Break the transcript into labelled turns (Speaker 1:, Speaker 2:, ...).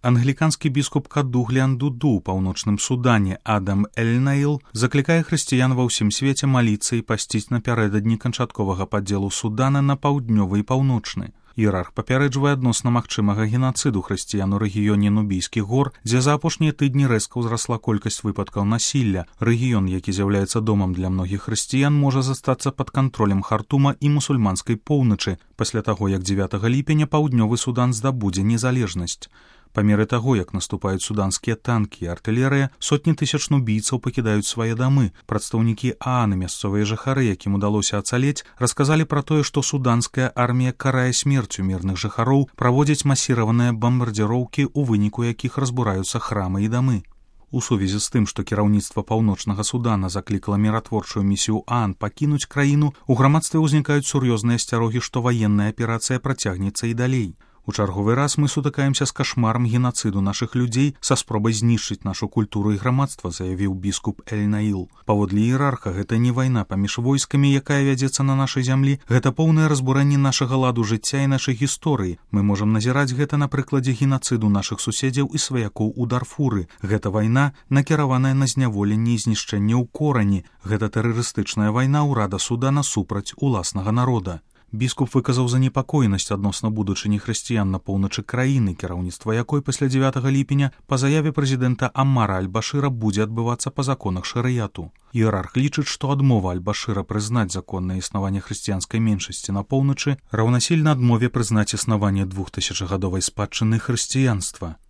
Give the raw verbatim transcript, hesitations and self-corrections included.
Speaker 1: Англіканскі біскуп Кадуглян Дуду ў паўночным Судане Адам Эльнайл заклікае хрысціян ва ўсім свеце маліцца і пасціць напярэдадні канчатковага падзелу Судана на паўднёвы і паўночны. Іерарх папярэджвае адносна магчымага генацыду хрысціян у рэгіёне Нубійскіх гор, дзе за апошнія тыдні рэзка ўзрасла колькасць выпадкаў насілля. Рэгіён, які з'яўляецца домам для многіх хрысціян, можа застацца пад кантролем Хартума і мусульманскай поўначы пасля таго, як дзевятага ліпеня паўднёвы Судан здабудзе незалежнасць. Па меры таго, як наступаюць суданскія танкі і артылерыя, сотні тысяч нубійцаў пакідаюць свае дамы. Прадстаўнікі ААН і мясцовыя жыхары, якім удалося ацалець, расказалі пра тое, што суданская армія карае смерцю мірных жыхароў, праводзіць масіраваныя бамбардзіроўкі, у выніку якіх разбураюцца храмы і дамы. У сувязі з тым, што кіраўніцтва паўночнага Судана заклікала міратворчую місію ААН пакінуць краіну, у грамадстве ўзнікаюць сур'ёзныя асцярогі, што ваенная аперацыя працягнецца і далей. У чарговы раз мы сутыкаемся з кашмарам генацыду нашых людзей са спробай знішчыць нашу культуру і грамадства, заявіў біскуп Эльнайл. Паводле іерарха, гэта не вайна паміж войскамі, якая вядзецца на нашай зямлі, гэта поўнае разбурэнне нашага ладу жыцця і нашай гісторыі. Мы можам назіраць гэта на прыкладзе генацыду нашых суседзяў і сваякоў у Дарфуры. Гэта вайна, накіраваная на зняволенне і знішчэнне ў корані. Гэта тэрарыстычная вайна ўрада Судана супраць уласнага народа. Біскуп выказаў занепакоенасць адносна будучыні хрысціян на поўначы краіны, кіраўніцтва якой пасля дзевятага ліпеня па заяве прэзідэнта Аммара аль-Башыра будзе адбывацца па законах шарыяту. Іерарх лічыць, што адмова аль-Башыра прызнаць законнае існаванне хрысціянскай меншасці на поўначы раўнасільна адмове прызнаць існаванне двухтысячагадовай спадчыны хрысціянства.